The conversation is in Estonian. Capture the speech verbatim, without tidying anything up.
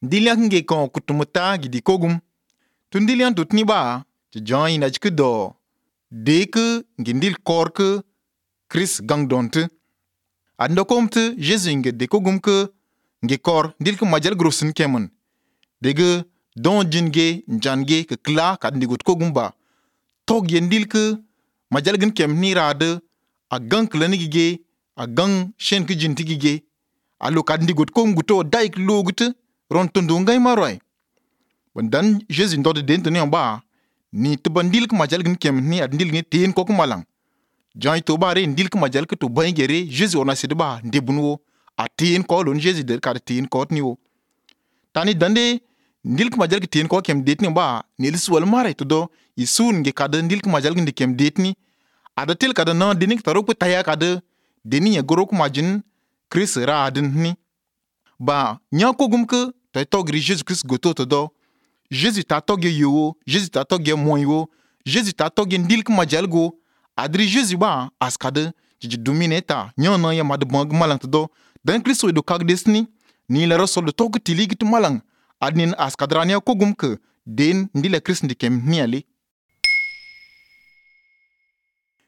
Ndilian nge kon kutumuta gidi kogum. Tu ndilian tutni ba, ti John ina jike do. Deke ngindil korke Chris gang donte. Ando komte Jésus nge de kogum ke nge kor ndil ke majal grosin kemen. Dege don jinge njange ke kla kad ndigut kogum ba. Tog ye ndil ke majal gen kem ni rade a gang klenigige a gang shen ke jintigige. Alo kad ndigut kogum guto daik logute ron tundu ngay maroy. Dan Jésus ndode den tuni ba ni te ndil ke majal gen kem ni ad ndil ni teen kok malang. Jan to bare ndil ke majal ke to bangere Jésus ona sidba ndebunwo a teen ko lon Jésus de kad teen ko ni wo. Tani dande ndil ke majal ke teen ko kem det ni ba ni liswal mare to do isun nge kad ndil ke majal gen kem det ni ada tel kada na denik tarok pe taya kada deni ya gorok majin Chris ra adin ni ba nya ko gum ke tay togri Jésus Christ goto to do Jésus ta togye yo Jésus ta togye moy wo Jésus ta togye ndil ke majal go adri Jésus ba askade ji domineta nya na ya mad bang malang to do dan Christ do kag desni ni la rasol do tog tiligi to malang adnin askadrania ko gum ke den ndile Christ ndikem ni ale